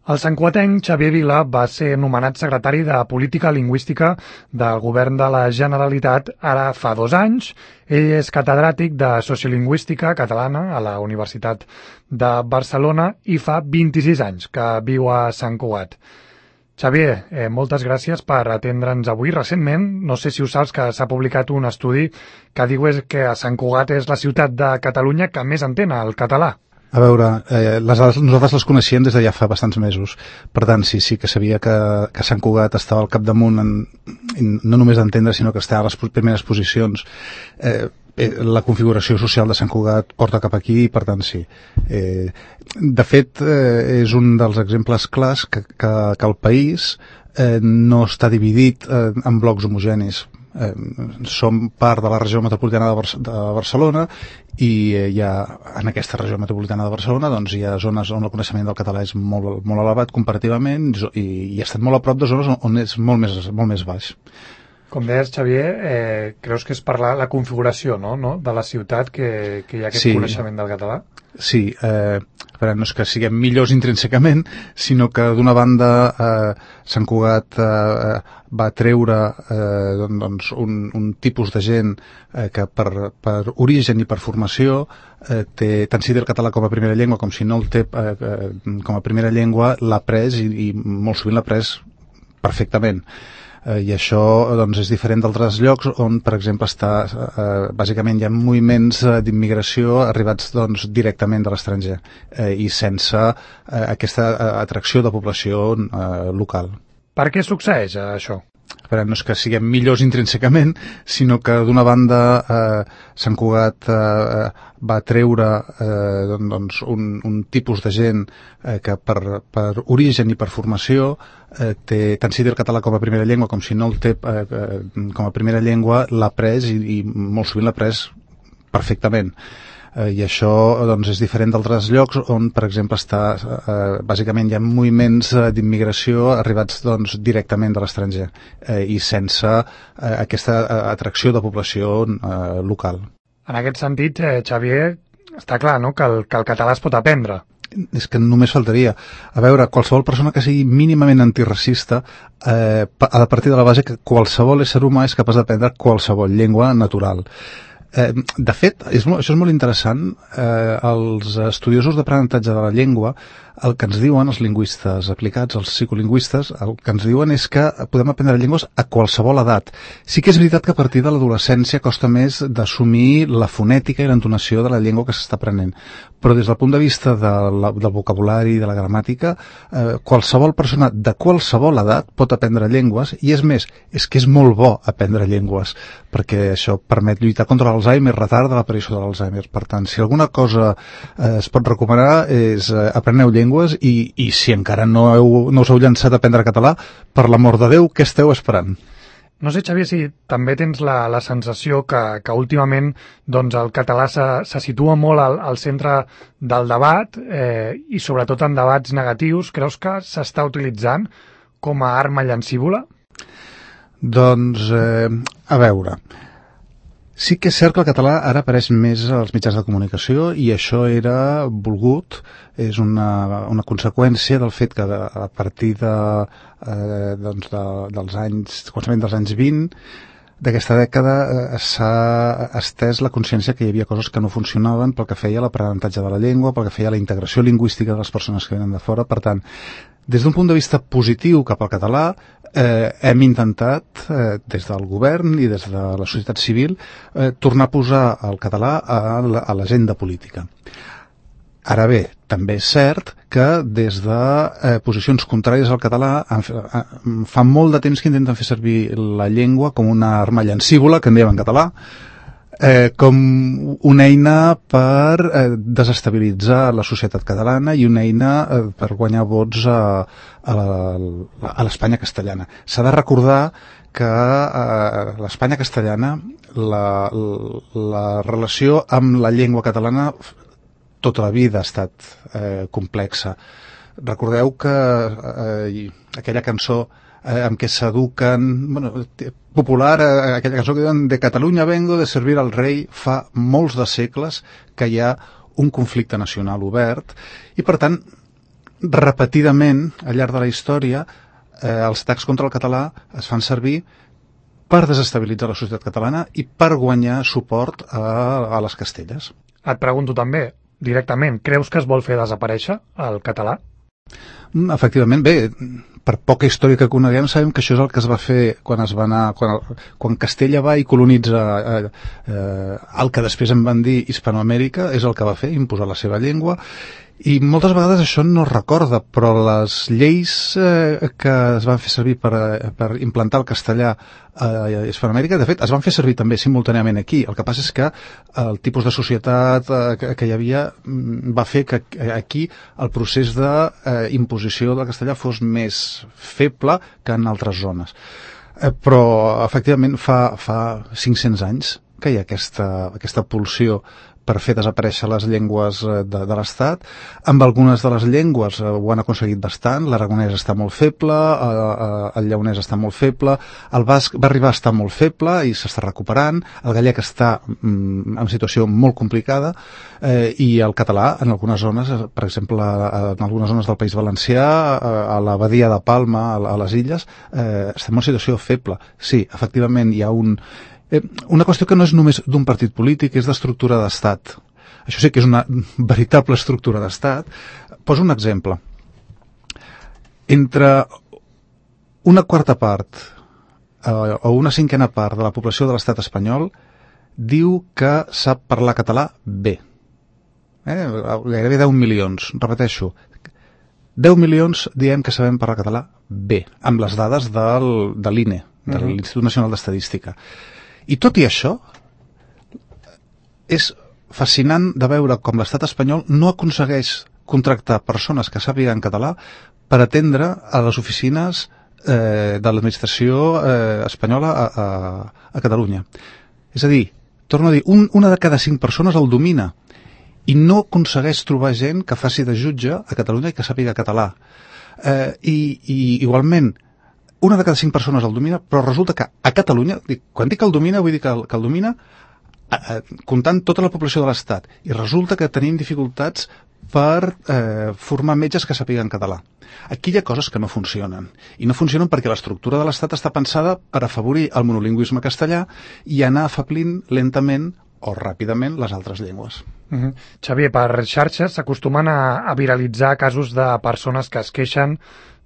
El santcugatenc Xavier Vila va ser nomenat secretari de Política Lingüística del Govern de la Generalitat ara fa 2 anys. Ell és catedràtic de Sociolingüística catalana a la Universitat de Barcelona i fa 26 anys que viu a Sant Cugat. Xavier, moltes gràcies per atendre'ns avui. Recentment, no sé si ho saps, que s'ha publicat un estudi que diu que Sant Cugat és la ciutat de Catalunya que més entén el català. A veure, les dades nosaltres les coneixíem des de ja fa bastants mesos. Per tant, sí que sabia que Sant Cugat estava al capdamunt, no només d'entendre, sinó que estava a les primeres posicions. La configuració social de Sant Cugat porta cap aquí i, per tant, sí. De fet, és un dels exemples clars que el país no està dividit en blocs homogenis. Som part de la regió metropolitana de Barcelona i en aquesta regió metropolitana de Barcelona doncs hi ha zones on el coneixement del català és molt, molt elevat comparativament i estem molt a prop de zones on és molt més baix. Com deies, Xavier, creus que és per la configuració, no, de la ciutat que hi ha aquest coneixement del català? Sí, no és que siguem millors intrínsecament, sinó que d'una banda Sant Cugat va treure un tipus de gent que per origen i per formació tant si té el català com a primera llengua com si no el té com a primera llengua l'ha pres i molt sovint l'ha pres perfectament. I això doncs, és diferent d'altres llocs on, per exemple, bàsicament hi ha moviments d'immigració arribats doncs, directament de l'estranger i sense aquesta atracció de població local. Per què succeeix això? No és que siguem millors intrínsecament, sinó que d'una banda Sant Cugat va treure un tipus de gent que per origen i per formació tant si té el català com a primera llengua com si no el té com a primera llengua l'ha pres i molt sovint l'ha pres perfectament. I això doncs, és diferent d'altres llocs on, per exemple, bàsicament hi ha moviments d'immigració arribats doncs, directament de l'estranger i sense aquesta atracció de població local. En aquest sentit, Xavier, està clar, no?, que el català es pot aprendre. És que només faltaria. A veure, qualsevol persona que sigui mínimament antiracista ha de partir de la base que qualsevol ésser humà és capaç d'aprendre qualsevol llengua natural. De fet, això és molt interessant. Els estudiosos d'aprenentatge de la llengua, el que ens diuen els lingüistes aplicats, els psicolingüistes, el que ens diuen és que podem aprendre llengües a qualsevol edat. Sí que és veritat que a partir de l'adolescència costa més d'assumir la fonètica i l'entonació de la llengua que s'està aprenent. Però des del punt de vista del vocabulari, de la gramàtica, qualsevol persona de qualsevol edat pot aprendre llengües i és més, és que és molt bo aprendre llengües, perquè això permet lluitar contra l'Alzheimer, retarda l'aparició de l'Alzheimer. Per tant, si alguna cosa es pot recomanar és apreneu llengües i si encara no us heu llançat a aprendre català, per l'amor de Déu, què esteu esperant? No sé, Xavier, si també tens la sensació que últimament doncs, el català se situa molt al centre del debat i sobretot en debats negatius. Creus que s'està utilitzant com a arma llancívola? Doncs, a veure, sí que és cert que el català ara apareix més als mitjans de comunicació i això era volgut, és una conseqüència del fet que a partir dels anys 20, d'aquesta dècada s'ha estès la consciència que hi havia coses que no funcionaven pel que feia a l'aprenentatge de la llengua, pel que feia a la integració lingüística de les persones que venen de fora. Per tant, des d'un punt de vista positiu cap al català, hem intentat, des del govern i des de la societat civil, tornar a posar el català a l'agenda política. Ara bé, també és cert que des de posicions contràries al català fa molt de temps que intenten fer servir la llengua com una arma llancívola, que en diem en català, com una eina per desestabilitzar la societat catalana i una eina per guanyar vots a l'Espanya castellana. S'ha de recordar que a l'Espanya castellana la relació amb la llengua catalana tota la vida ha estat complexa. Recordeu que aquella cançó amb què s'eduquen, popular, aquella cançó que diuen de Catalunya vengo de servir al rei, fa molts de segles que hi ha un conflicte nacional obert i per tant repetidament, al llarg de la història, els atacs contra el català es fan servir per desestabilitzar la societat catalana i per guanyar suport a les Castelles. Et pregunto també, directament, creus que es vol fer desaparèixer el català? Efectivament, bé, per poca història que coneguem, sabem que això és el que es va fer quan es va anar, quan Castella va i colonitza el que després en van dir Hispanoamèrica, és el que va fer, imposar la seva llengua, i moltes vegades això no es recorda, però les lleis que es van fer servir per implantar el castellà a Hispanoamèrica, de fet, es van fer servir també simultàniament aquí. El que passa és que el tipus de societat que hi havia va fer que aquí el procés d'imposició del castellà fos més feble que en altres zones. Però, efectivament, fa 500 anys que hi ha aquesta pulsió per fer desaparèixer les llengües de l'Estat. Amb algunes de les llengües ho han aconseguit bastant. L'aragonès està molt feble, el lleonès està molt feble, el basc va arribar a estar molt feble i s'està recuperant, el gallec està en situació molt complicada, i el català en algunes zones, per exemple en algunes zones del País Valencià, a la badia de Palma, a les illes, estem en una situació feble. Sí, efectivament hi ha una qüestió que no és només d'un partit polític, és d'estructura d'estat. Això sí que és una veritable estructura d'estat. Poso un exemple. Entre una quarta part o una cinquena part de la població de l'estat espanyol diu que sap parlar català bé. Gairebé 10 milions, repeteixo. 10 milions diem que sabem parlar català bé, amb les dades de l'INE, de l'Institut Nacional d'Estadística. I tot i això, és fascinant de veure com l'estat espanyol no aconsegueix contractar persones que sàpiguen català per atendre a les oficines de l'administració espanyola a Catalunya. És a dir, torno a dir, una de cada 5 persones el domina i no aconsegueix trobar gent que faci de jutge a Catalunya i que sàpiga català. I igualment, una de cada 5 persones el domina, però resulta que a Catalunya, quan dic el domina, vull dir que el domina comptant tota la població de l'Estat, i resulta que tenim dificultats per formar metges que sàpiguen català. Aquí hi ha coses que no funcionen, i no funcionen perquè l'estructura de l'Estat està pensada per afavorir el monolingüisme castellà i anar afablint lentament o ràpidament les altres llengües. Xavier, per xarxes s'acostumen a viralitzar casos de persones que es queixen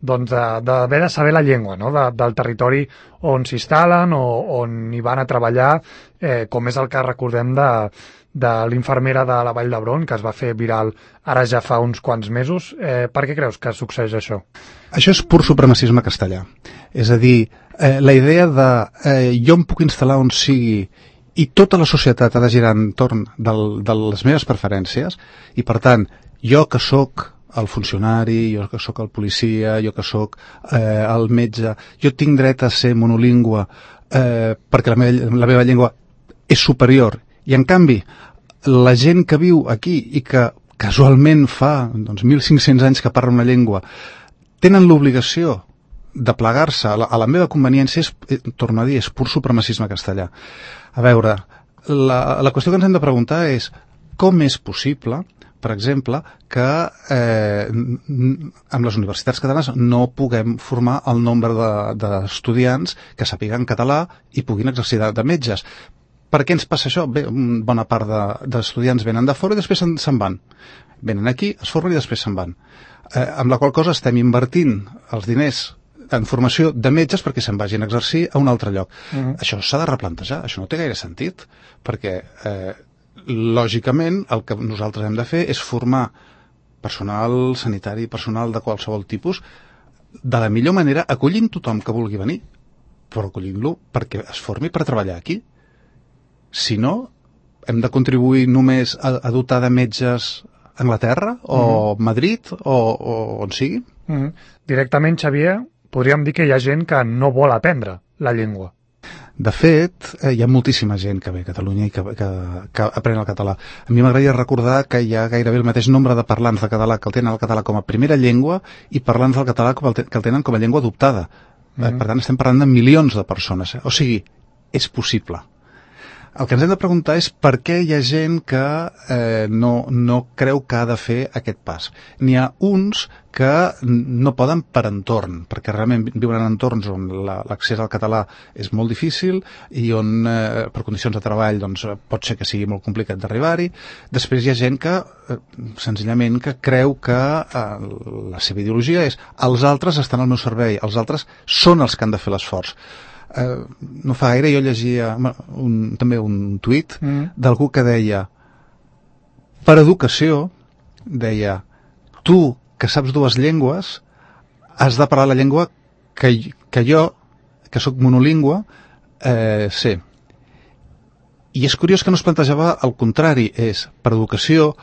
d'haver de saber la llengua, no? Del territori on s'instal·len o on hi van a treballar, com és el que recordem de l'infermera de la Vall d'Hebron, que es va fer viral ara ja fa uns quants mesos. Per què creus que succeeix això? Això és pur supremacisme castellà. És a dir, la idea de jo em puc instal·lar on sigui i tota la societat ha de girar entorn de les meves preferències, i per tant, jo que sóc el funcionari, jo que sóc el policia, jo que sóc el metge, jo tinc dret a ser monolingüe perquè la meva llengua és superior. I en canvi, la gent que viu aquí i que casualment fa 1.500 anys que parla una llengua tenen l'obligació de plegar-se a la meva conveniència, torno a dir, és pur supremacisme castellà. A veure, la qüestió que ens hem de preguntar és com és possible, per exemple, que amb les universitats catalanes no puguem formar el nombre d'estudiants que sàpiguen català i puguin exercir de metges. Per què ens passa això? Bé, bona part d'estudiants venen de fora i després se'n van. Venen aquí, es formen i després se'n van. Amb la qual cosa estem invertint els diners en formació de metges perquè se'n vagin a exercir a un altre lloc. Això s'ha de replantejar, això no té gaire sentit, perquè lògicament el que nosaltres hem de fer és formar personal sanitari, personal de qualsevol tipus, de la millor manera, acollint tothom que vulgui venir, però acollint-lo perquè es formi per treballar aquí. Si no, hem de contribuir només a dotar de metges Anglaterra o Madrid o on sigui. Directament, Xavier, podríem dir que hi ha gent que no vol aprendre la llengua. De fet, hi ha moltíssima gent que ve a Catalunya i que aprèn el català. A mi m'agradaria recordar que hi ha gairebé el mateix nombre de parlants de català que el tenen el català com a primera llengua i parlants del català que el tenen com a llengua adoptada. Per tant, estem parlant de milions de persones. O sigui, és possible. El que ens hem de preguntar és per què hi ha gent que no creu que ha de fer aquest pas. N'hi ha uns que no poden per entorn, perquè realment viuen en entorns on l'accés al català és molt difícil i on per condicions de treball doncs, pot ser que sigui molt complicat d'arribar-hi. Després hi ha gent que senzillament que creu que la seva ideologia és els altres estan al meu servei, els altres són els que han de fer l'esforç. No fa gaire jo llegia també un tuit d'algú que deia per educació, deia tu que saps dues llengües has de parlar la llengua que jo, que sóc monolingüe, sé. I és curiós que no es plantejava el contrari, és per educació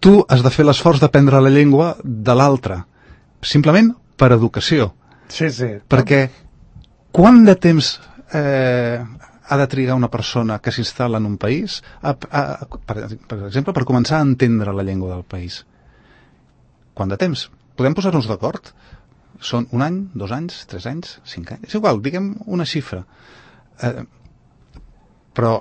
tu has de fer l'esforç d'aprendre la llengua de l'altre, simplement per educació. Sí, sí. Perquè quant de temps ha de trigar una persona que s'instal·la en un país, per exemple, per començar a entendre la llengua del país? Quant de temps? Podem posar-nos d'acord? Són 1 any, 2 anys, 3 anys, 5 anys? És igual, diguem una xifra. Però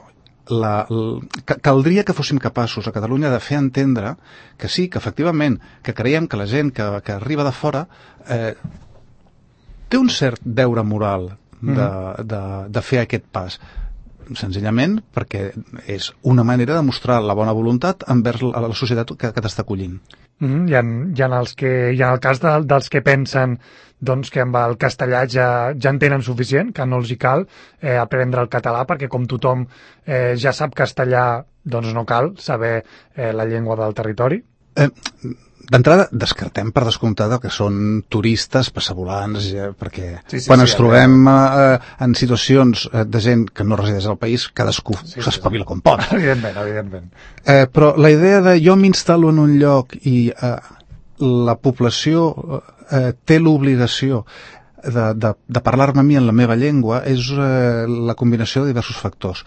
caldria que fóssim capaços a Catalunya de fer entendre que sí, que efectivament, que creiem que la gent que arriba de fora té un cert deure moral de fer aquest pas, senzillament perquè és una manera de mostrar la bona voluntat envers la societat que t'està acollint. Hi ha el cas dels que pensen doncs, que amb el castellà ja en tenen suficient, que no els hi cal aprendre el català, perquè com tothom ja sap castellà, doncs no cal saber la llengua del territori. D'entrada, descartem per descomptat que són turistes, passavolants, perquè quan ens trobem en situacions de gent que no resideix al país, cadascú s'espavila com pot. Evidentment. Però la idea de jo m'instal·lo en un lloc i la població té l'obligació de parlar-me a mi en la meva llengua és la combinació de diversos factors.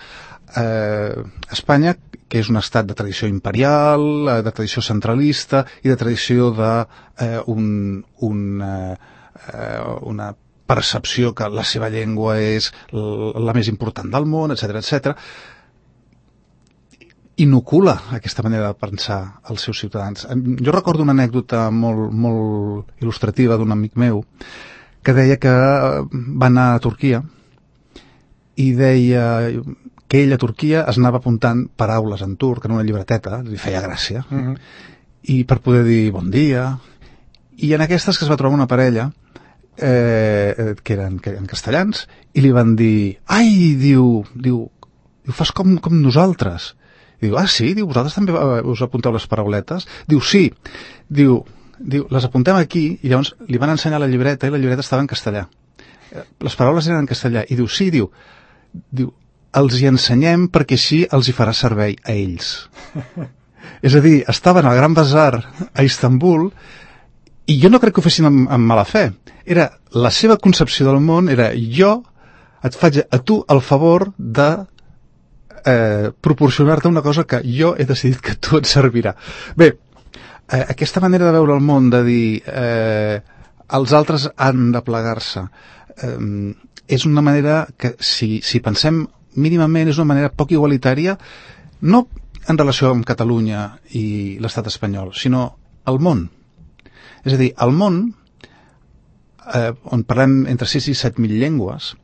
Espanya, que és un estat de tradició imperial, de tradició centralista i de tradició una percepció que la seva llengua és la més important del món, etc., inocula aquesta manera de pensar als seus ciutadans. Jo recordo una anècdota molt il·lustrativa d'un amic meu que deia que va anar a Turquia i deia que ell a Turquia es anava apuntant paraules en turc en una llibreteta, li feia gràcia, i per poder dir bon dia. I en aquestes que es va trobar una parella que eren castellans i li van dir, ai, diu fas com nosaltres. I diu, sí? Diu, vosaltres també us apunteu les parauletes? Diu, sí. Diu, les apuntem aquí, i llavors li van ensenyar la llibreta i la llibreta estava en castellà. Les paraules eren en castellà. I diu, sí, diu, els hi ensenyem perquè així els hi farà servei a ells. És a dir, estaven al Gran Bazar a Istanbul i jo no crec que ho fessin amb mala fe. Era la seva concepció del món, era jo et faig a tu el favor de proporcionar-te una cosa que jo he decidit que a tu et servirà. Bé, aquesta manera de veure el món, de dir els altres han de plegar-se, és una manera que, si pensem mínimament, és una manera poc igualitària, no en relació amb Catalunya i l'estat espanyol, sinó al món. És a dir, al món, on parlem entre 6 i 7.000 llengües,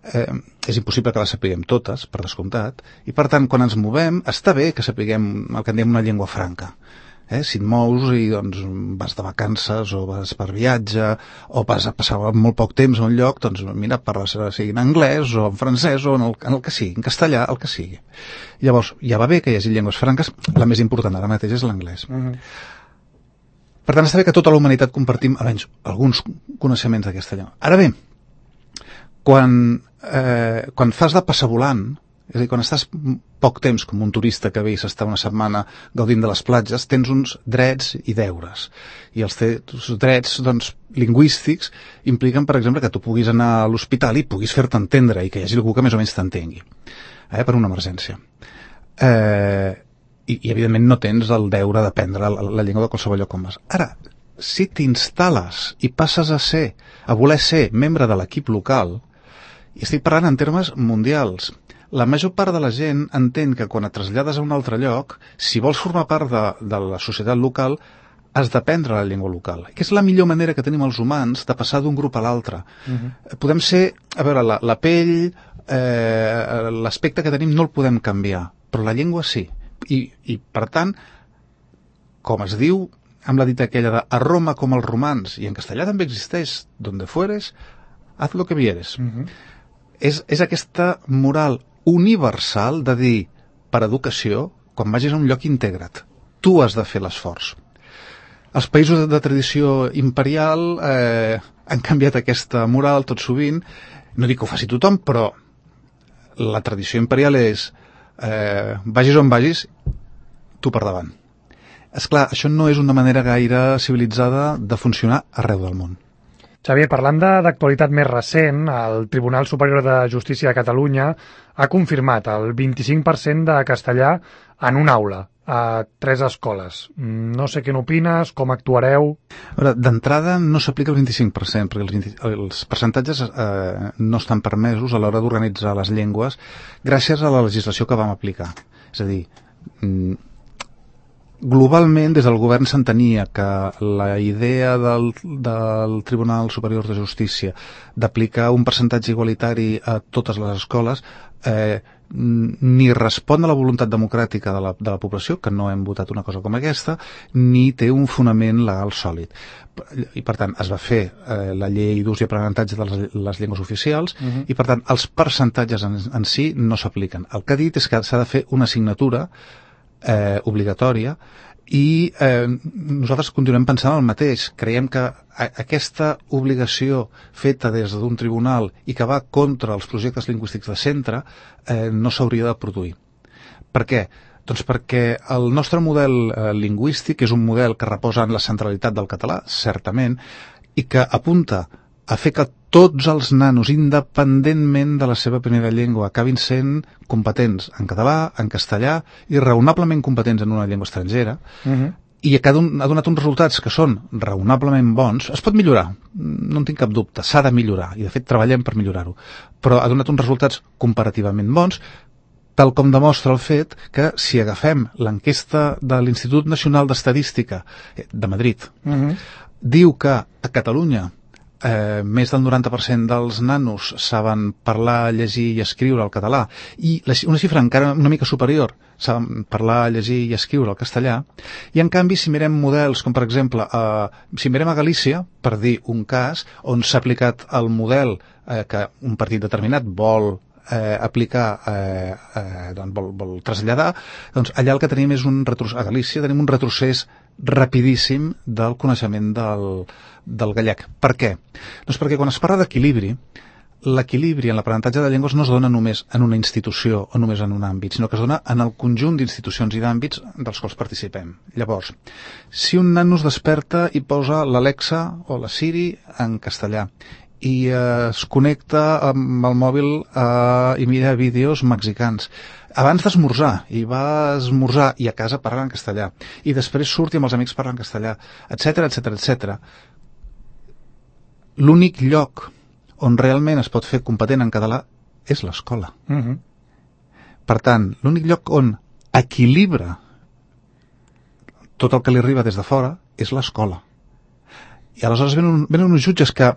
és impossible que les sapiguem totes, per descomptat, i per tant, quan ens movem, està bé que sapiguem el que en diem una llengua franca. Si et mous i doncs, vas de vacances o vas per viatge o vas a passar molt poc temps a un lloc, doncs mira, parles sigui en anglès o en francès o en el que sigui, en castellà, el que sigui. Llavors, ja va bé que hi hagi llengües franques, la més important ara mateix és l'anglès. Per tant, està bé que tota la humanitat compartim almenys alguns coneixements d'aquesta llengua. Ara bé, quan fas de passavolant, és a dir, quan estàs poc temps com un turista que ve i s'està una setmana gaudint de les platges, tens uns drets i deures. I els drets doncs, lingüístics impliquen, per exemple, que tu puguis anar a l'hospital i puguis fer-te entendre i que hi hagi algú que més o menys t'entengui per una emergència. I evidentment no tens el deure d'aprendre la llengua de qualsevol lloc on vas. Ara, si t'instal·les i passes a voler ser membre de l'equip local, i estic parlant en termes mundials, la major part de la gent entén que quan et trasllades a un altre lloc, si vols formar part de la societat local, has d'aprendre la llengua local, que és la millor manera que tenim els humans de passar d'un grup a l'altre. Podem ser, a veure, la pell, l'aspecte que tenim no el podem canviar, però la llengua sí. I per tant, com es diu amb la dita aquella de a Roma com els romans, i en castellà també existeix, donde fueres, haz lo que vieres. És aquesta moral universal de dir, per educació, quan vagis a un lloc integra't, tu has de fer l'esforç. Els països de tradició imperial han canviat aquesta moral tot sovint. No dic que ho faci tothom, però la tradició imperial és vagis on vagis, tu per davant. Esclar, això no és una manera gaire civilitzada de funcionar arreu del món. Xavier, parlant d'actualitat més recent, el Tribunal Superior de Justícia de Catalunya ha confirmat el 25% de castellà en una aula, a 3 escoles. No sé què n'opines, com actuareu... D'entrada no s'aplica el 25%, perquè els percentatges no estan permesos a l'hora d'organitzar les llengües gràcies a la legislació que vam aplicar. És a dir, globalment, des del govern s'entenia que la idea del Tribunal Superior de Justícia d'aplicar un percentatge igualitari a totes les escoles ni respon a la voluntat democràtica de la població, que no hem votat una cosa com aquesta, ni té un fonament legal sòlid. I, per tant, es va fer la llei d'ús i aprenentatge de les llengües oficials i, per tant, els percentatges en si no s'apliquen. El que ha dit és que s'ha de fer una assignatura obligatòria i nosaltres continuem pensant el mateix. Creiem que aquesta obligació feta des d'un tribunal i que va contra els projectes lingüístics de centre no s'hauria de produir. Per què? Doncs perquè el nostre model lingüístic és un model que reposa en la centralitat del català, certament, i que apunta a fer que tots els nanos, independentment de la seva primera llengua, acabin sent competents en català, en castellà i raonablement competents en una llengua estrangera, i ha donat uns resultats que són raonablement bons. Es pot millorar, no en tinc cap dubte, s'ha de millorar, i de fet treballem per millorar-ho, però ha donat uns resultats comparativament bons, tal com demostra el fet que si agafem l'enquesta de l'Institut Nacional d'Estadística de Madrid, diu que a Catalunya més del 90% dels nanos saben parlar, llegir i escriure el català, i una xifra encara una mica superior saben parlar, llegir i escriure el castellà, i en canvi si mirem models com per exemple si mirem a Galícia, per dir un cas on s'ha aplicat el model que un partit determinat vol aplicar, vol traslladar, doncs allà el que tenim és a Galícia tenim un retrocés rapidíssim del coneixement del gallec. Per què? Doncs perquè quan es parla d'equilibri, l'equilibri en l'aprenentatge de llengües no es dona només en una institució o només en un àmbit, sinó que es dona en el conjunt d'institucions i d'àmbits dels quals participem. Llavors, si un nano es desperta i posa l'Alexa o la Siri en castellà i es connecta amb el mòbil i mira vídeos mexicans, abans d'esmorzar, i va esmorzar i a casa parla en castellà, i després surt i amb els amics parla en castellà, etc. L'únic lloc on realment es pot fer competent en català és l'escola. Per tant, l'únic lloc on equilibra tot el que li arriba des de fora és l'escola. I aleshores venen uns jutges que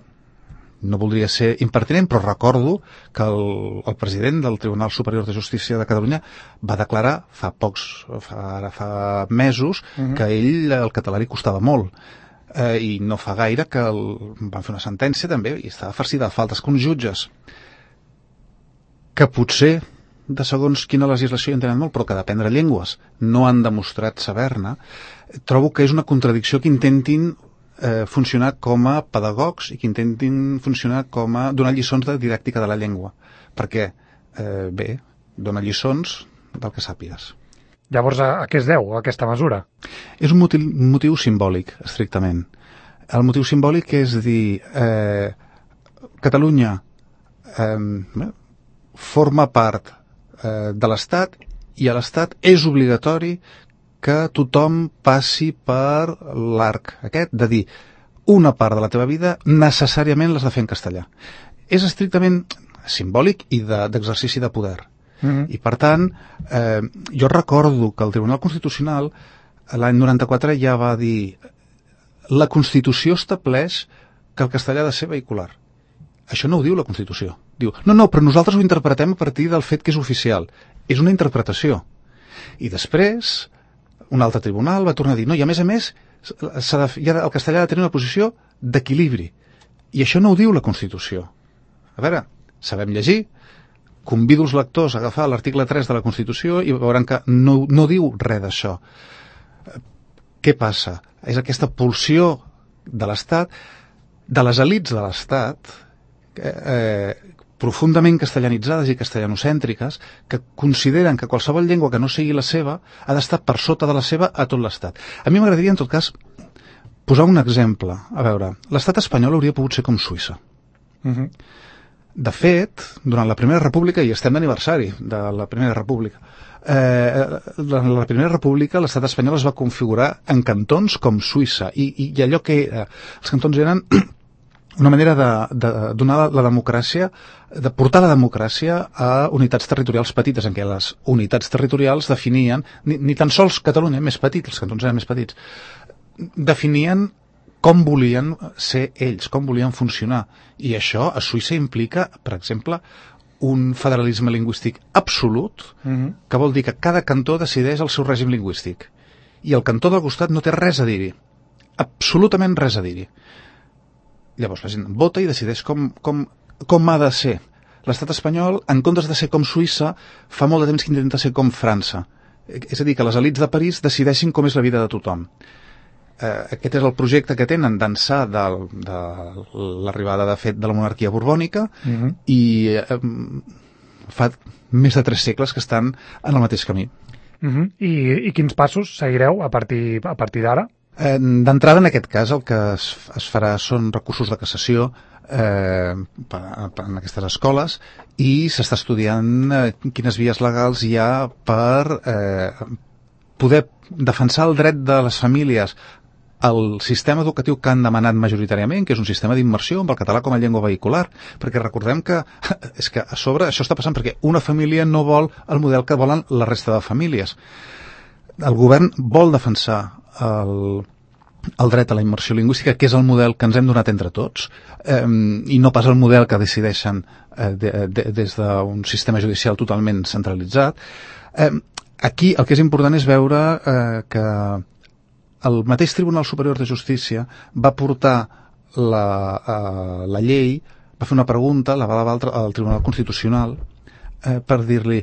no voldria ser impertinent, però recordo que el president del Tribunal Superior de Justícia de Catalunya va declarar fa mesos que a ell el català li costava molt. I no fa gaire que van fer una sentència també i estava farcida de faltes, que uns jutges que potser de segons quina legislació entenen molt, però que d'aprendre llengües no han demostrat saber-ne, trobo que és una contradicció que intentin funcionar com a pedagogs i que intentin funcionar com a donar lliçons de didàctica de la llengua, perquè bé, dona lliçons del que sàpigues. Llavors, a què es deu aquesta mesura? És un motiu simbòlic, estrictament. El motiu simbòlic és dir Catalunya forma part de l'Estat i a l'Estat és obligatori que tothom passi per l'arc aquest de dir una part de la teva vida necessàriament l'has de fer en castellà. És estrictament simbòlic i d'exercici de poder. I, per tant, jo recordo que el Tribunal Constitucional l'any 94 ja va dir la Constitució estableix que el castellà ha de ser vehicular. Això no ho diu la Constitució. Diu, no, però nosaltres ho interpretem a partir del fet que és oficial. És una interpretació. I després, un altre tribunal va tornar a dir, no, i a més, el castellà ha de tenir una posició d'equilibri. I això no ho diu la Constitució. A veure, sabem llegir, convido els lectors a agafar l'article 3 de la Constitució i veuran que no diu res d'això. Què passa? És aquesta pulsió de l'Estat, de les elits de l'Estat, profundament castellanitzades i castellanocèntriques, que consideren que qualsevol llengua que no sigui la seva ha d'estar per sota de la seva a tot l'Estat. A mi m'agradaria, en tot cas, posar un exemple. A veure, l'Estat espanyol hauria pogut ser com Suïssa. De fet, durant la Primera República, i estem d'aniversari de la Primera República, durant la Primera República l'estat espanyol es va configurar en cantons com Suïssa, i allò que els cantons eren una manera de donar la democràcia, de portar la democràcia a unitats territorials petites, en què les unitats territorials definien, ni tan sols Catalunya, més petit, els cantons eren més petits, definien com volien ser ells, com volien funcionar. I això a Suïssa implica, per exemple, un federalisme lingüístic absolut, que vol dir que cada cantó decideix el seu règim lingüístic. I el cantó del costat no té res a dir-hi. Absolutament res a dir-hi. Llavors la gent vota i decideix com ha de ser. L'estat espanyol, en comptes de ser com Suïssa, fa molt de temps que intenta ser com França. És a dir, que les elits de París decideixin com és la vida de tothom. Aquest és el projecte que tenen d'ençà de l'arribada, de fet, de la monarquia borbònica, i fa més de 3 segles que estan en el mateix camí. I quins passos seguireu a partir d'ara? D'entrada, en aquest cas, el que es farà són recursos de cassació en aquestes escoles, i s'està estudiant quines vies legals hi ha per poder defensar el dret de les famílies al sistema educatiu que han demanat majoritàriament, que és un sistema d'immersió amb el català com a llengua vehicular, perquè recordem que és que a sobre això està passant perquè una família no vol el model que volen la resta de famílies. El govern vol defensar el dret a la immersió lingüística, que és el model que ens hem donat entre tots, i no pas el model que decideixen des d'un sistema judicial totalment centralitzat. Aquí el que és important és veure que el mateix Tribunal Superior de Justícia va portar la llei, va fer una pregunta, la va elevar al Tribunal Constitucional per dir-li,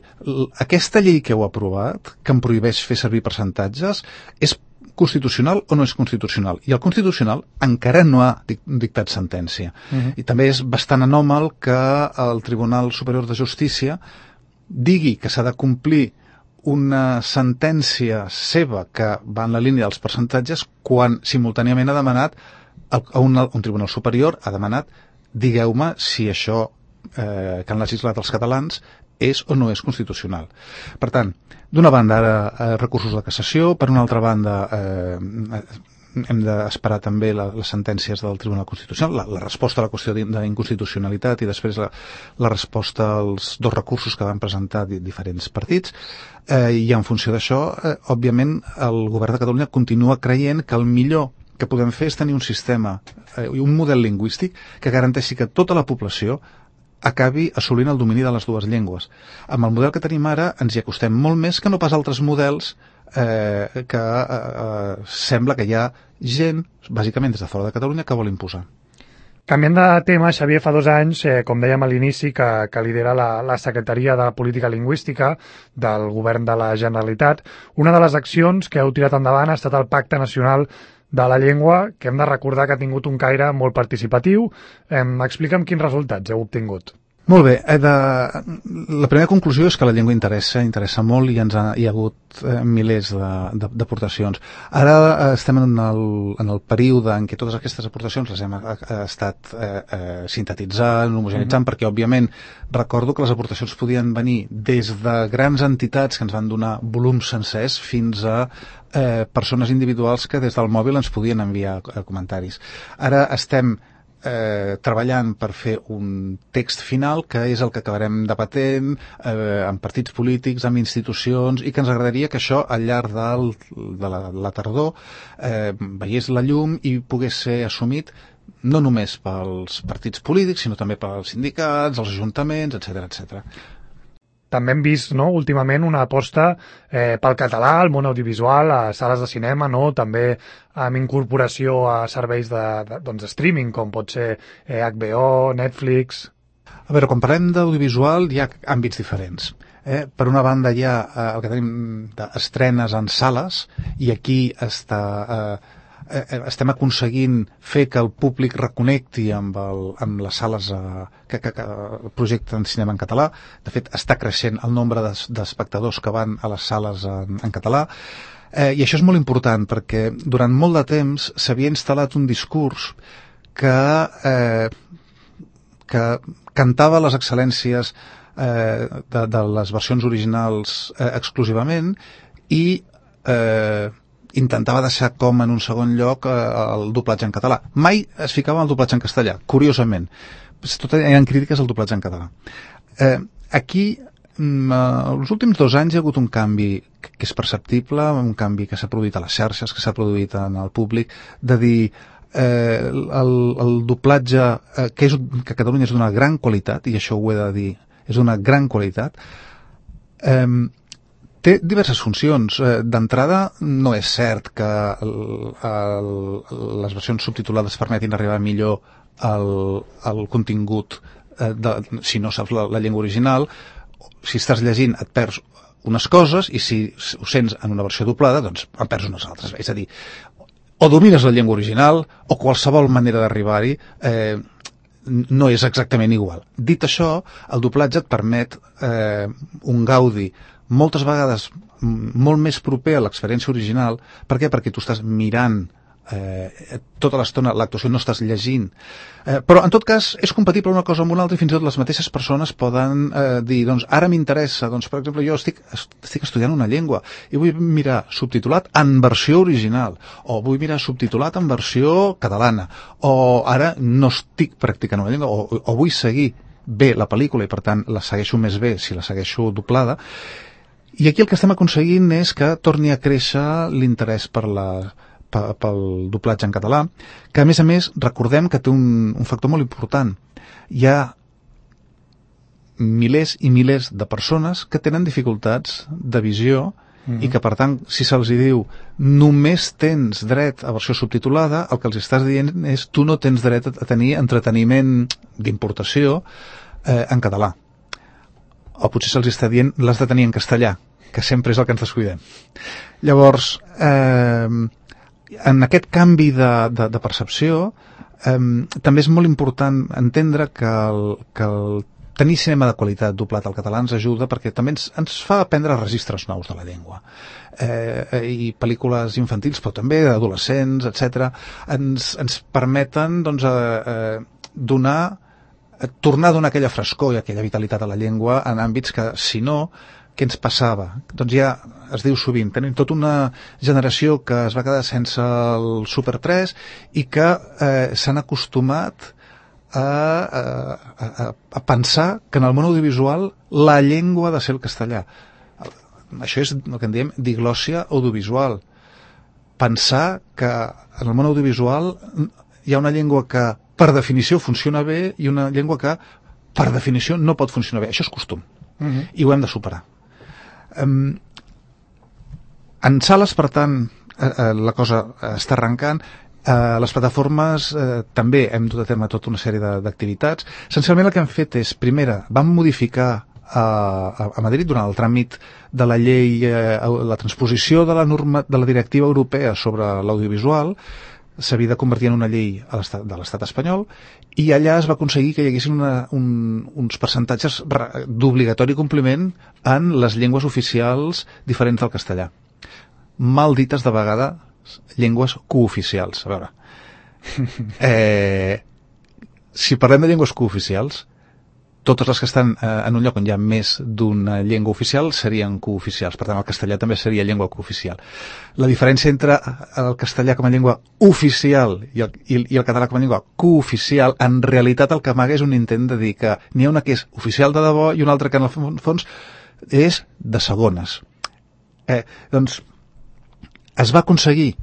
aquesta llei que heu aprovat, que em prohibeix fer servir percentatges, és constitucional o no és constitucional? I el Constitucional encara no ha dictat sentència. I també és bastant anòmal que el Tribunal Superior de Justícia digui que s'ha de complir una sentència seva que va en la línia dels percentatges quan simultàniament ha demanat un tribunal superior ha demanat, digueu-me si això que han legislat els catalans és o no és constitucional. Per tant, d'una banda recursos de cassació, per una altra banda hem d'esperar també les sentències del Tribunal Constitucional, la resposta a la qüestió d'inconstitucionalitat i després la resposta als 2 recursos que van presentar diferents partits, i en funció d'això, òbviament, el govern de Catalunya continua creient que el millor que podem fer és tenir un sistema, un model lingüístic que garanteixi que tota la població acabi assolint el domini de les 2 llengües. Amb el model que tenim ara ens hi acostem molt més que no pas altres models que sembla que hi ha gent, bàsicament des de fora de Catalunya, que vol imposar. Canviant de tema, Xavier, fa 2 anys, com dèiem a l'inici, que lidera la Secretaria de Política Lingüística del Govern de la Generalitat, una de les accions que heu tirat endavant ha estat el Pacte Nacional de la Llengua, que hem de recordar que ha tingut un caire molt participatiu. Explica'm quins resultats heu obtingut. Molt bé, la primera conclusió és que la llengua interessa molt i hi ha hagut milers d'aportacions. Ara estem en el període en què totes aquestes aportacions les hem estat sintetitzant, homogenitzant, perquè òbviament recordo que les aportacions podien venir des de grans entitats que ens van donar volums sencers fins a persones individuals que des del mòbil ens podien enviar comentaris. Ara estem treballant per fer un text final que és el que acabarem debatent amb partits polítics, amb institucions, i que ens agradaria que això al llarg de la tardor veiés la llum i pogués ser assumit no només pels partits polítics, sinó també pels sindicats, els ajuntaments, etc etc. També hem vist, no, últimament una aposta pel català al món audiovisual, a sales de cinema, no? També amb incorporació a serveis de streaming, com pot ser HBO, Netflix... A veure, quan parlem d'audiovisual hi ha àmbits diferents. Per una banda hi ha el que tenim d'estrenes en sales, i aquí estem aconseguint fer que el públic reconnecti amb les sales que projecten cinema en català. De fet, està creixent el nombre d'espectadors que van a les sales en català, i això és molt important perquè durant molt de temps s'havia instal·lat un discurs que cantava les excel·lències de les versions originals exclusivament i intentava deixar com en un segon lloc el doblatge en català. Mai es ficava el doblatge en castellà, curiosament. Tot hi ha crítiques al doblatge en català. Aquí, els últims 2 anys hi ha hagut un canvi que és perceptible, un canvi que s'ha produït a les xarxes, que s'ha produït en el públic, de dir el doblatge, que a Catalunya és d'una gran qualitat, i això ho he de dir, és d'una gran qualitat, té diverses funcions. D'entrada, no és cert que les versions subtitulades permetin arribar millor al contingut si no saps la llengua original. Si estàs llegint et perds unes coses, i si ho sents en una versió doblada, doncs en perds unes altres. És a dir, o domines la llengua original o qualsevol manera d'arribar-hi no és exactament igual. Dit això, el doblatge et permet un gaudi moltes vegades molt més proper a l'experiència original. Per què? Perquè tu estàs mirant tota l'estona l'actuació, no estàs llegint. Però, en tot cas, és compatible una cosa amb una altra, i fins i tot les mateixes persones poden dir, doncs, ara m'interessa, doncs, per exemple, jo estic estudiant una llengua i vull mirar subtitulat en versió original, o vull mirar subtitulat en versió catalana, o ara no estic practicant una llengua, o vull seguir bé la pel·lícula i, per tant, la segueixo més bé si la segueixo doblada. I aquí el que estem aconseguint és que torni a créixer l'interès pel doblatge en català, que a més recordem que té un factor molt important. Hi ha milers i milers de persones que tenen dificultats de visió i que, per tant, si se'ls diu només tens dret a versió subtitulada, el que els estàs dient és tu no tens dret a tenir entreteniment d'importació en català. O potser se'ls està dient l'has de tenir en castellà, que sempre és el que ens descuidem. Llavors, en aquest canvi de percepció, també és molt important entendre que tenir cinema de qualitat doblat al català ens ajuda, perquè també ens fa aprendre registres nous de la llengua. I pel·lícules infantils, però també d'adolescents, etc., ens permeten tornar a donar aquella frescor i aquella vitalitat a la llengua en àmbits que, si no, què ens passava? Doncs ja es diu sovint, tenim tota una generació que es va quedar sense el Super 3 i que s'han acostumat a pensar que en el món audiovisual la llengua ha de ser el castellà. Això és el que en diem diglòssia audiovisual. Pensar que en el món audiovisual hi ha una llengua que per definició funciona bé i una llengua que per definició no pot funcionar bé. Això és costum. I ho hem de superar. En sales, per tant, la cosa està arrencant. A les plataformes també hem dut a terme tota una sèrie d'activitats. Essencialment el que hem fet és, primera, vam modificar a Madrid durant el tràmit de la llei, la transposició de la directiva europea sobre l'audiovisual. S'havia de convertir en una llei de l'estat espanyol, i allà es va aconseguir que hi haguessin uns percentatges d'obligatori compliment en les llengües oficials diferents del castellà. Mal dites de vegades llengües cooficials. A veure, si parlem de llengües cooficials, totes les que estan en un lloc on hi ha més d'una llengua oficial serien cooficials. Per tant, el castellà també seria llengua cooficial. La diferència entre el castellà com a llengua oficial i el català com a llengua cooficial, en realitat el que amaga és un intent de dir que n'hi ha una que és oficial de debò i una altra que en el fons és de segones. Doncs es va aconseguir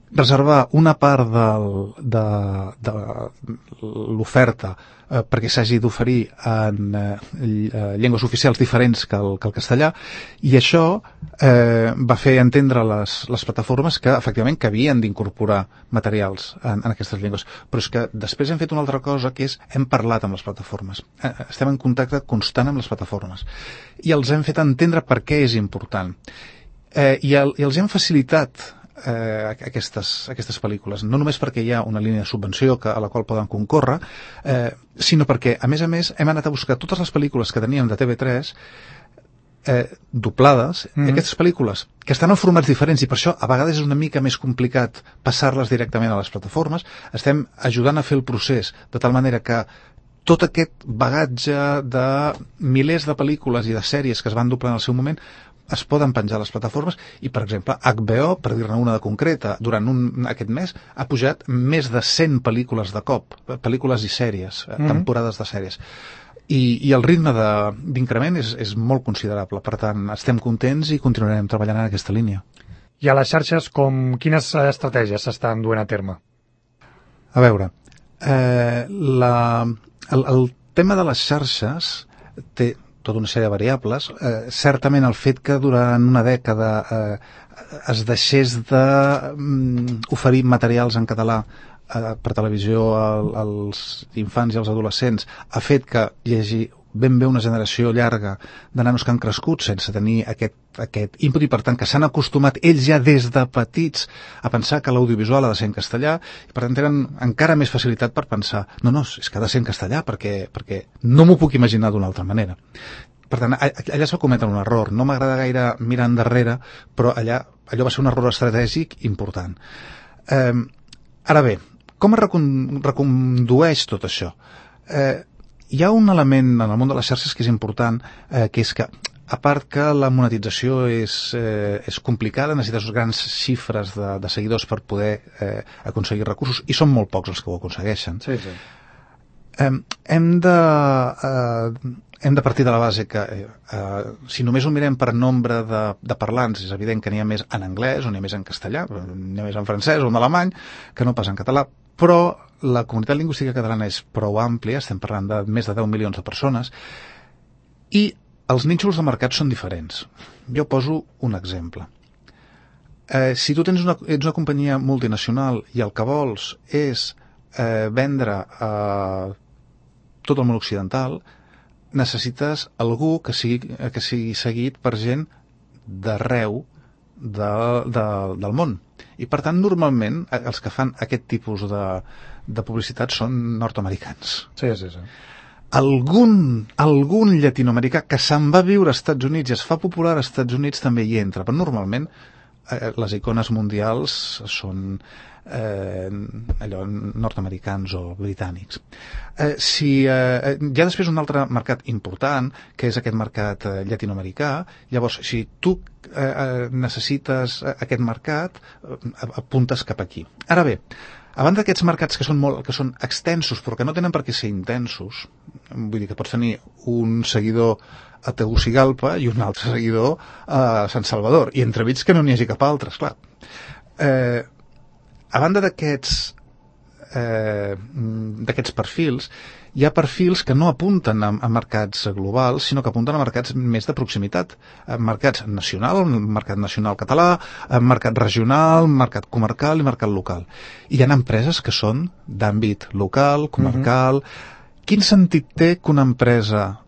reservar una part de l'oferta perquè s'hagi d'oferir en llengües oficials diferents que el castellà, i això va fer entendre les plataformes que efectivament que havien d'incorporar materials en aquestes llengües. Però és que després hem fet una altra cosa, que és hem parlat amb les plataformes. Estem en contacte constant amb les plataformes i els hem fet entendre per què és important. I els hem facilitat aquestes pel·lícules, no només perquè hi ha una línia de subvenció a la qual poden concórrer, sinó perquè, a més, hem anat a buscar totes les pel·lícules que teníem de TV3 doblades, aquestes pel·lícules que estan en formats diferents, i per això a vegades és una mica més complicat passar-les directament a les plataformes. Estem ajudant a fer el procés de tal manera que tot aquest bagatge de milers de pel·lícules i de sèries que es van doblar en el seu moment es poden penjar a les plataformes, i per exemple HBO, per dir-ne una de concreta, durant aquest mes ha pujat més de 100 pel·lícules de cop, pel·lícules i sèries, temporades de sèries, i el ritme d'increment és molt considerable. Per tant, estem contents i continuarem treballant en aquesta línia. I a les xarxes, quines estratègies s'estan duent a terme? A veure, el tema de les xarxes té tota una sèrie de variables. Certament el fet que durant una dècada es deixés d'oferir materials en català per televisió als infants i als adolescents ha fet que hi hagi ben bé una generació llarga de nanos que han crescut sense tenir aquest input, i per tant que s'han acostumat ells ja des de petits a pensar que l'audiovisual ha de ser en castellà, i per tant tenen encara més facilitat per pensar no, és que ha de ser en castellà perquè no m'ho puc imaginar d'una altra manera. Per tant, allà es va cometre un error. No m'agrada gaire mirar endarrere, però allò va ser un error estratègic important. Ara bé, com es recondueix tot això? Hi ha un element en el món de les xarxes que és important, que és que, a part que la monetització és complicada, necessites grans xifres de seguidors per poder aconseguir recursos, i són molt pocs els que ho aconsegueixen. Sí. Hem de partir de la base que si només ho mirem per nombre de parlants, és evident que n'hi ha més en anglès o n'hi ha més en castellà, n'hi ha més en francès o en alemany, que no pas en català, però la comunitat lingüística catalana és prou àmplia, estem parlant de més de 10 milions de persones, i els nínxols de mercat són diferents. Jo poso un exemple. Si tu ets una companyia multinacional i el que vols és vendre a tot el món occidental, necessites algú que sigui seguit per gent d'arreu del món. I per tant, normalment, els que fan aquest tipus de publicitat són nord-americans. Sí. Algun llatinoamericà que se'n va viure als Estats Units i es fa popular als Estats Units també hi entra, però normalment les icones mundials són allò nord-americans o britànics. Hi ha després un altre mercat important, que és aquest mercat llatinoamericà. Llavors, si tu necessites aquest mercat, apuntes cap aquí. Ara bé, a banda d'aquests mercats que són extensos però que no tenen per què ser intensos, vull dir que pots tenir un seguidor a Tegucigalpa i un altre seguidor a Sant Salvador, i entremig que no n'hi hagi cap altre, esclar. A banda d'aquests perfils, hi ha perfils que no apunten a mercats globals, sinó que apunten a mercats més de proximitat. Mercats nacional, mercat nacional català, mercat regional, mercat comarcal i mercat local. I hi ha empreses que són d'àmbit local, comarcal. Quin sentit té que una empresa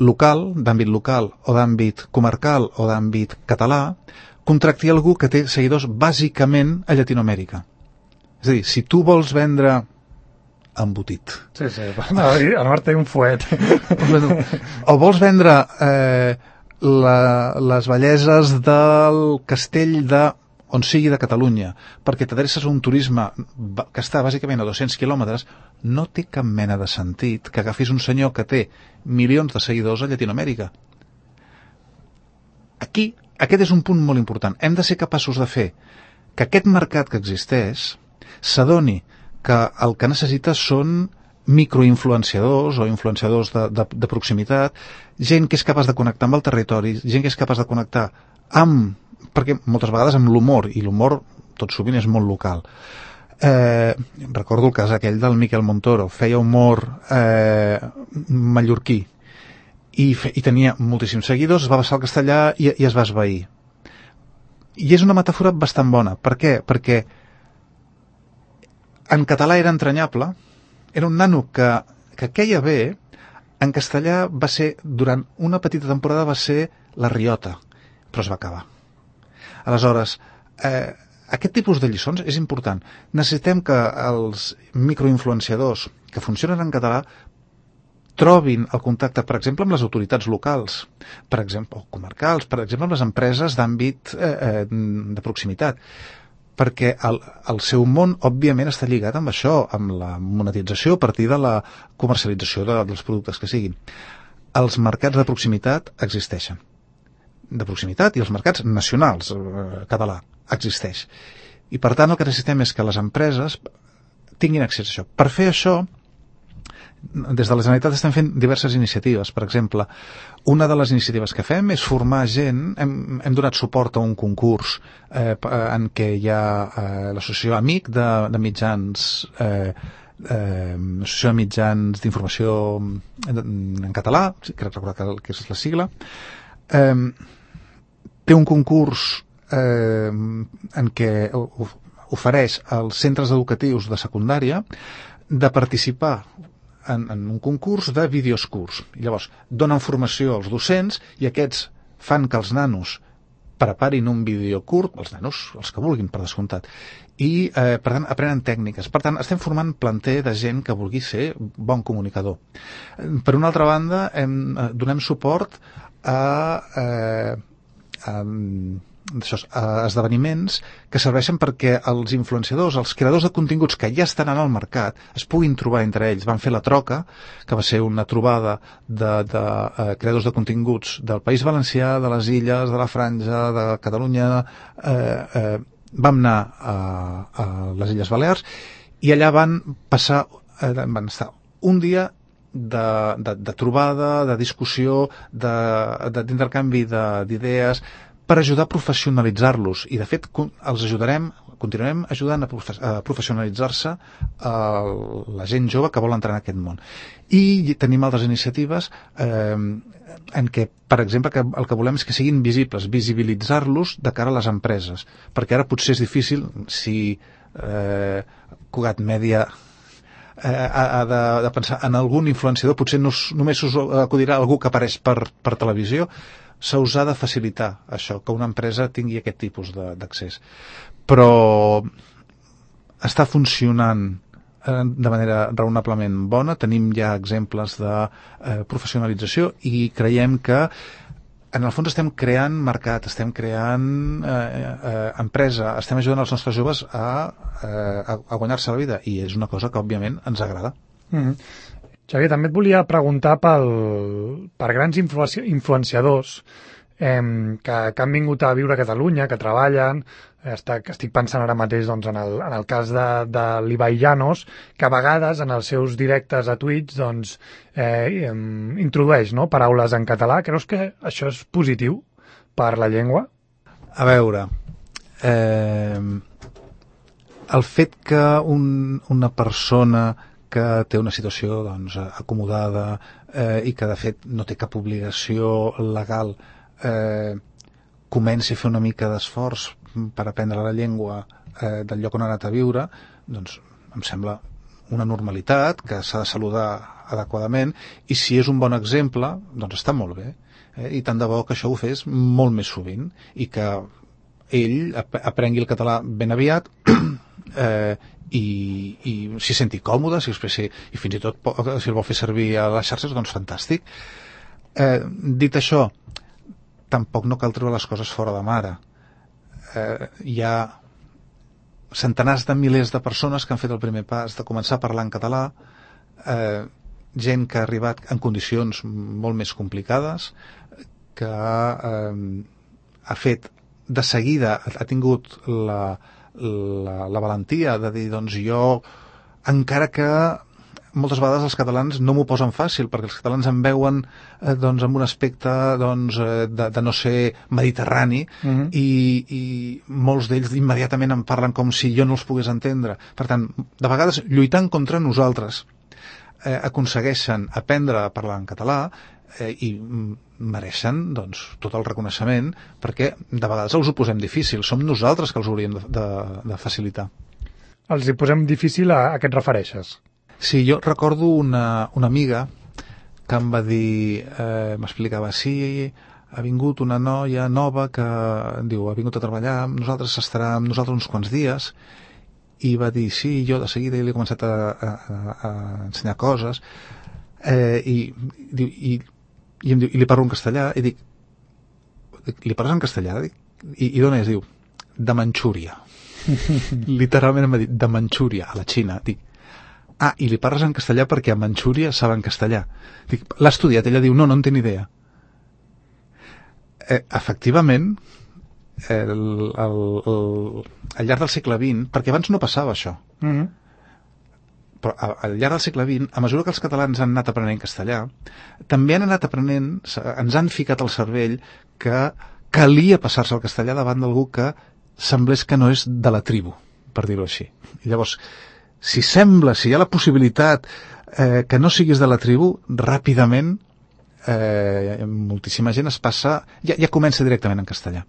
local, d'àmbit local o d'àmbit comarcal o d'àmbit català, contracti algú que té seguidors bàsicament a Llatinoamèrica? És a dir, si tu vols vendre embotit. Sí, a part té un fuet. O vols vendre les belleses del castell de on sigui de Catalunya, perquè t'adreces a un turisme que està bàsicament a 200 quilòmetres, no té cap mena de sentit que agafis un senyor que té milions de seguidors a Llatinoamèrica. Aquí, aquest és un punt molt important. Hem de ser capaços de fer que aquest mercat que existeix s'adoni que el que necessita són microinfluenciadors o influenciadors de proximitat, gent que és capaç de connectar amb el territori, gent que és capaç de connectar amb, perquè moltes vegades amb l'humor, i l'humor tot sovint és molt local. Recordo el cas aquell del Miquel Montoro, feia humor mallorquí i tenia moltíssims seguidors, es va passar al castellà i es va esvair. I és una metàfora bastant bona. Per què? Perquè en català era entranyable, era un nano que queia bé, en castellà va ser, durant una petita temporada va ser la riota, però es va acabar. Aleshores, aquest tipus de lliçons és important. Necessitem que els microinfluenciadors que funcionen en català trobin el contacte, per exemple, amb les autoritats locals, per exemple, o comarcals, per exemple, amb les empreses d'àmbit de proximitat, perquè el seu món, òbviament, està lligat amb això, amb la monetització a partir de la comercialització dels productes que siguin. Els mercats de proximitat existeixen. De proximitat i els mercats nacionals, català, existeix. I, per tant, el que necessitem és que les empreses tinguin accés a això. Per fer això, des de la Generalitat estem fent diverses iniciatives. Per exemple, una de les iniciatives que fem és formar gent. Hem donat suport a un concurs en què hi ha l'associació Amic de mitjans associació de mitjans d'informació en català, crec recordar que és la sigla. Té un concurs en què ofereix als centres educatius de secundària de participar en un concurs de vídeos curts. I llavors donen formació als docents i aquests fan que els nanos preparin un vídeo curt, els nanos, els que vulguin, per descomptat, i per tant aprenen tècniques. Per tant, estem formant planter de gent que vulgui ser bon comunicador. Per una altra banda, donem suport a esdeveniments que serveixen perquè els influenciadors, els creadors de continguts que ja estan en el mercat, es puguin trobar entre ells. Van fer la Troca, que va ser una trobada de creadors de continguts del País Valencià, de les Illes, de la Franja, de Catalunya. Vam anar a les Illes Balears i allà van estar un dia de trobada, de discussió, d'intercanvi d'idees, per ajudar a professionalitzar-los. I, de fet, els continuarem ajudant a professionalitzar-se la gent jove que vol entrar en aquest món. I tenim altres iniciatives en què, per exemple, el que volem és que siguin visibles, visibilitzar-los de cara a les empreses. Perquè ara potser és difícil si Cugat Mèdia ha de pensar en algun influenciador, potser només us acudirà algú que apareix per televisió. Se us ha de facilitar això, que una empresa tingui aquest tipus d'accés. Però està funcionant de manera raonablement bona. Tenim ja exemples de professionalització i creiem que en el fons estem creant mercat, estem creant empresa, estem ajudant els nostres joves a guanyar-se la vida, i és una cosa que òbviament ens agrada. Xavier, també et volia preguntar per grans influenciadors que han vingut a viure a Catalunya, que treballen. Estic pensant ara mateix doncs, en el cas de l'Ibai Llanos, que a vegades en els seus directes a Twitch doncs, introdueix paraules en català. Creus que això és positiu per la llengua? A veure, el fet que una persona que té una situació acomodada i que de fet no té cap obligació legal comenci a fer una mica d'esforç per aprendre la llengua del lloc on ha anat a viure, doncs em sembla una normalitat que s'ha de saludar adequadament, i si és un bon exemple doncs està molt bé, i tant de bo que això ho fes molt més sovint i que ell aprengui el català ben aviat i s'hi senti còmode, s'hi expressi, i fins i tot si el vol fer servir a les xarxes, doncs fantàstic. Dit això, tampoc no cal treure les coses fora de mare. hi ha centenars de milers de persones que han fet el primer pas de començar a parlar en català, gent que ha arribat en condicions molt més complicades, que ha fet de seguida, ha tingut la valentia de dir, doncs jo, encara que moltes vegades els catalans no m'ho posen fàcil, perquè els catalans em veuen doncs, amb un aspecte doncs, de no ser mediterrani, i molts d'ells immediatament em parlen com si jo no els pogués entendre. Per tant, de vegades, lluitant contra nosaltres, aconsegueixen aprendre a parlar en català, i mereixen doncs, tot el reconeixement, perquè de vegades els ho posem difícil, som nosaltres que els hauríem de facilitar. Els hi posem difícil a què et refereixes? Sí, jo recordo una amiga que em va dir, m'explicava, sí, ha vingut una noia nova que diu, ha vingut a treballar amb nosaltres, estarà amb nosaltres uns quants dies, i va dir, sí, jo de seguida li he començat a ensenyar coses, i em diu, i li parlo en castellà, i dic, li parles en castellà? I d'on és? Diu, de Manxúria. Literalment em va dir, de Manxúria, a la Xina. Dic, i li parles en castellà perquè a Manxúria saben castellà. Dic, l'ha estudiat? Ella diu, no en té ni idea. Efectivament, al llarg del segle XX, perquè abans no passava això, però al llarg del segle XX, a mesura que els catalans han anat aprenent castellà, també han anat aprenent, ens han ficat al cervell que calia passar-se al castellà davant d'algú que semblés que no és de la tribu, per dir-ho així. I llavors, si hi ha la possibilitat que no siguis de la tribu, ràpidament moltíssima gent es passa, ja comença directament en castellà.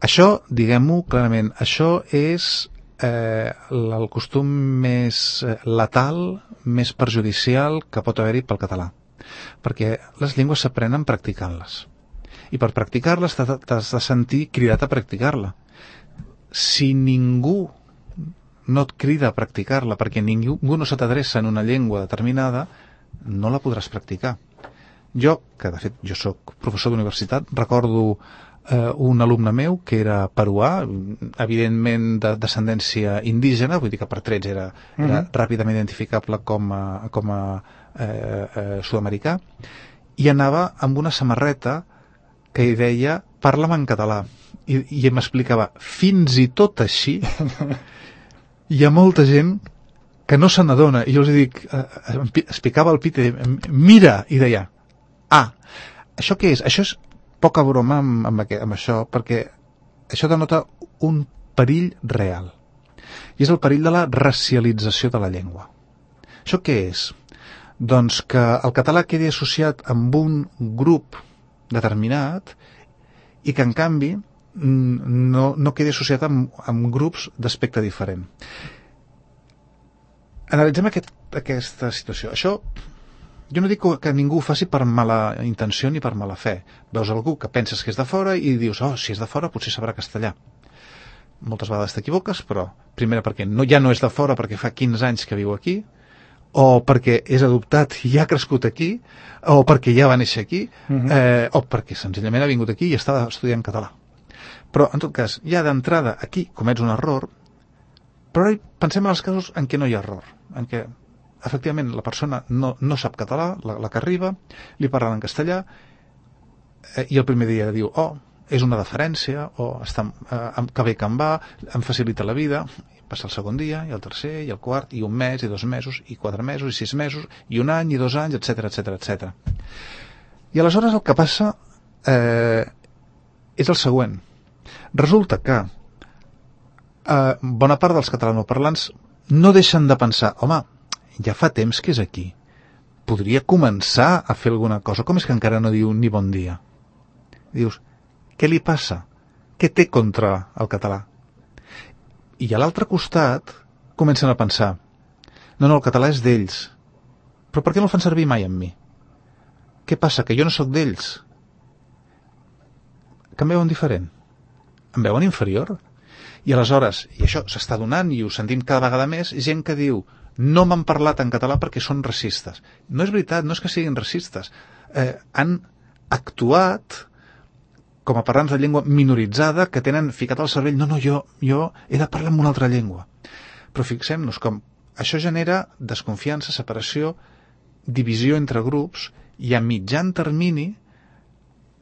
Això, diguem-ho clarament, això és el costum més letal, més perjudicial que pot haver-hi pel català. Perquè les llengües s'aprenen practicant-les. I per practicar-les t'has de sentir cridat a practicar-la. Si ningú no et crida a practicar-la, perquè ningú no se t'adreça en una llengua determinada, no la podràs practicar. Jo, que de fet jo soc professor d'universitat, recordo un alumne meu que era peruà, evidentment de descendència indígena, vull dir que per trets era ràpidament identificable com a sud-americà, i anava amb una samarreta que hi deia parla'm en català, i m'explicava, fins i tot així hi ha molta gent que no se n'adona, i jo els dic, es picava el pit i deia, mira, i deia, això què és? Això és poca broma amb això, perquè això denota un perill real. I és el perill de la racialització de la llengua. Això què és? Doncs que el català quedi associat amb un grup determinat i que, en canvi, no quedi associat amb grups d'aspecte diferent. Analitzem aquesta situació. Això, jo no dic que ningú ho faci per mala intenció ni per mala fe. Veus algú que penses que és de fora i dius, si és de fora potser sabrà castellà. Moltes vegades t'equivoques, però primera perquè ja no és de fora perquè fa 15 anys que viu aquí, o perquè és adoptat i ha crescut aquí, o perquè ja va néixer aquí, o perquè senzillament ha vingut aquí i està estudiant català. Però, en tot cas, ja d'entrada aquí comets un error, però pensem en els casos en què no hi ha error, en què efectivament la persona no sap català, la que arriba, li parlen en castellà, i el primer dia diu, és una deferència, que bé que em va, em facilita la vida, passa el segon dia, i el tercer, i el quart, i un mes, i 2 mesos, i 4 mesos, i 6 mesos, i 1 any, i 2 anys, etc. I aleshores el que passa és el següent. Resulta que bona part dels catalanoparlants no deixen de pensar, home, ja fa temps que és aquí, podria començar a fer alguna cosa, com és que encara no diu ni bon dia? Dius, què li passa? Què té contra el català? I a l'altre costat comencen a pensar, no, el català és d'ells, però per què no el fan servir mai amb mi? Què passa, que jo no sóc d'ells? Que em veuen diferent? Em veuen inferior? I aleshores, i això s'està donant i ho sentim cada vegada més, gent que diu, no m'han parlat en català perquè són racistes. No és veritat, no és que siguin racistes. Han actuat com a parlants de llengua minoritzada que tenen ficat al cervell, no, jo he de parlar en una altra llengua. Però fixem-nos com això genera desconfiança, separació, divisió entre grups, i a mitjan termini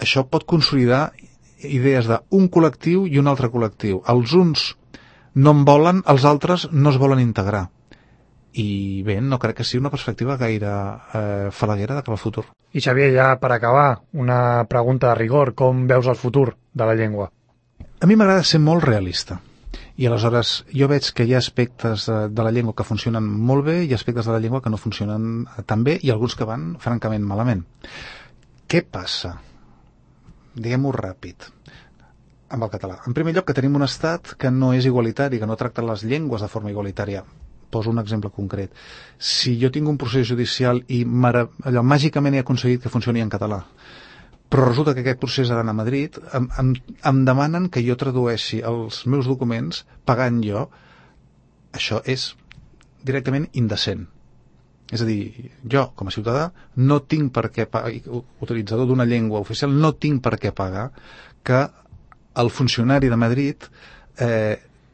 això pot consolidar idees d'un col·lectiu i un altre col·lectiu. Els uns no en volen, els altres no es volen integrar. I bé, no crec que sigui una perspectiva gaire falaguera de cara al futur. I Xavier, ja per acabar, una pregunta de rigor. Com veus el futur de la llengua? A mi m'agrada ser molt realista. I aleshores jo veig que hi ha aspectes de la llengua que funcionen molt bé i aspectes de la llengua que no funcionen tan bé i alguns que van francament malament. Què passa? Diguem-ho ràpid amb el català. En primer lloc, que tenim un estat que no és igualitari, que no tracta les llengües de forma igualitària. Poso un exemple concret. Si jo tinc un procés judicial i allò màgicament he aconseguit que funcioni en català, però resulta que aquest procés ha d'anar a Madrid, em demanen que jo tradueixi els meus documents pagant jo. Això és directament indecent. És a dir, jo, com a ciutadà, no tinc per què pagar, utilitzador d'una llengua oficial, no tinc per què pagar que el funcionari de Madrid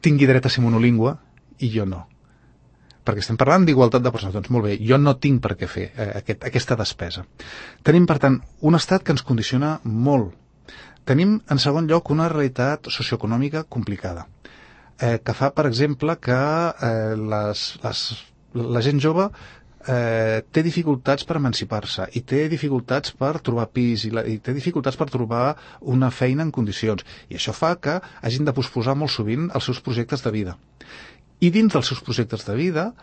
tingui dret a ser monolingüe i jo no. Perquè estem parlant d'igualtat de persones. Doncs molt bé, jo no tinc per què fer aquesta despesa. Tenim, per tant, un estat que ens condiciona molt. Tenim, en segon lloc, una realitat socioeconòmica complicada, que fa, per exemple, que la gent jove té dificultats per emancipar-se i té dificultats per trobar pis i té dificultats per trobar una feina en condicions. I això fa que hagin de posposar molt sovint els seus projectes de vida. I dins dels seus projectes de vida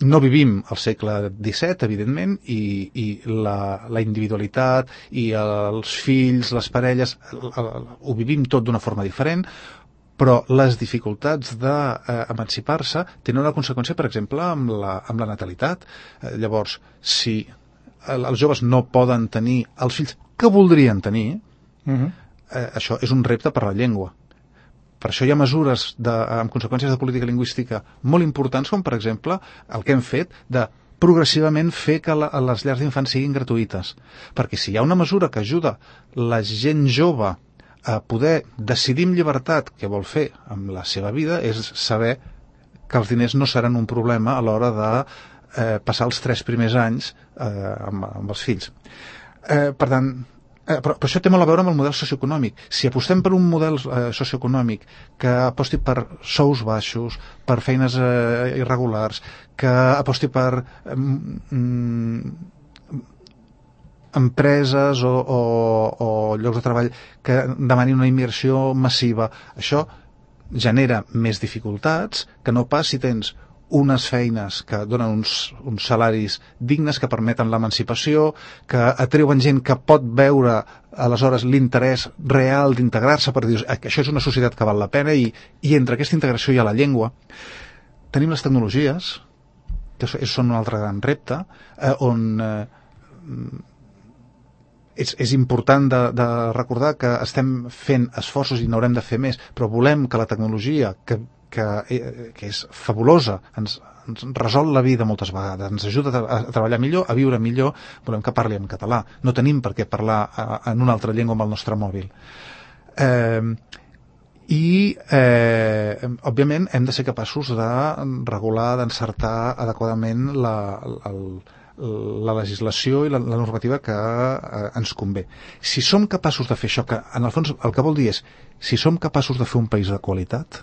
no vivim al segle XVII, evidentment, i la individualitat i els fills, les parelles, ho vivim tot d'una forma diferent, però les dificultats d'emancipar-se tenen una conseqüència, per exemple, amb la natalitat. Llavors, si els joves no poden tenir els fills que voldrien tenir, això és un repte per la llengua. Per això hi ha mesures amb conseqüències de política lingüística molt importants, com per exemple el que hem fet de progressivament fer que les llars d'infants siguin gratuïtes. Perquè si hi ha una mesura que ajuda la gent jove a poder decidir amb llibertat què vol fer amb la seva vida, és saber que els diners no seran un problema a l'hora de passar els 3 primers anys amb els fills. Per tant, però això té molt a veure amb el model socioeconòmic. Si apostem per un model socioeconòmic que aposti per sous baixos, per feines irregulars, que aposti per empreses o llocs de treball que demanin una immersió massiva, això genera més dificultats que no pas si tens unes feines que donen uns salaris dignes, que permeten l'emancipació, que atreuen gent que pot veure aleshores l'interès real d'integrar-se, per dir, això és una societat que val la pena, i entre aquesta integració hi ha la llengua. Tenim les tecnologies, que són un altre gran repte, on és important de recordar que estem fent esforços i n'haurem de fer més, però volem que la tecnologia, que és fabulosa, ens resol la vida moltes vegades, ens ajuda a treballar millor, a viure millor, volem que parli en català. No tenim per què parlar en una altra llengua amb el nostre mòbil. Òbviament, hem de ser capaços de regular, d'encertar adequadament la legislació i la normativa que ens convé. Si som capaços de fer això, que en el fons el que vol dir és, si som capaços de fer un país de qualitat,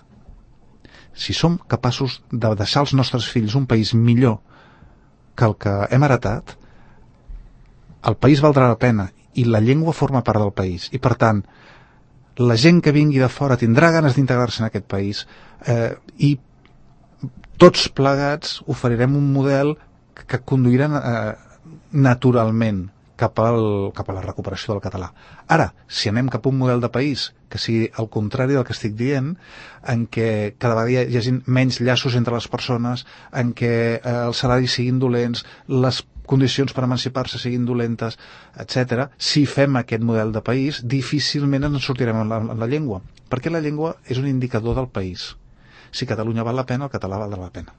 si som capaços de deixar als nostres fills un país millor que el que hem heretat, el país valdrà la pena i la llengua forma part del país. I, per tant, la gent que vingui de fora tindrà ganes d'integrar-se en aquest país i tots plegats oferirem un model que conduirà naturalment cap a la recuperació del català. Ara, si anem cap a un model de país que sigui el contrari del que estic dient, en què cada vegada hi hagi menys llaços entre les persones, en què els salaris siguin dolents, les condicions per emancipar-se siguin dolentes, etc. Si fem aquest model de país, difícilment ens en sortirem en la llengua, perquè la llengua és un indicador del país. Si Catalunya val la pena, el català valdrà la pena.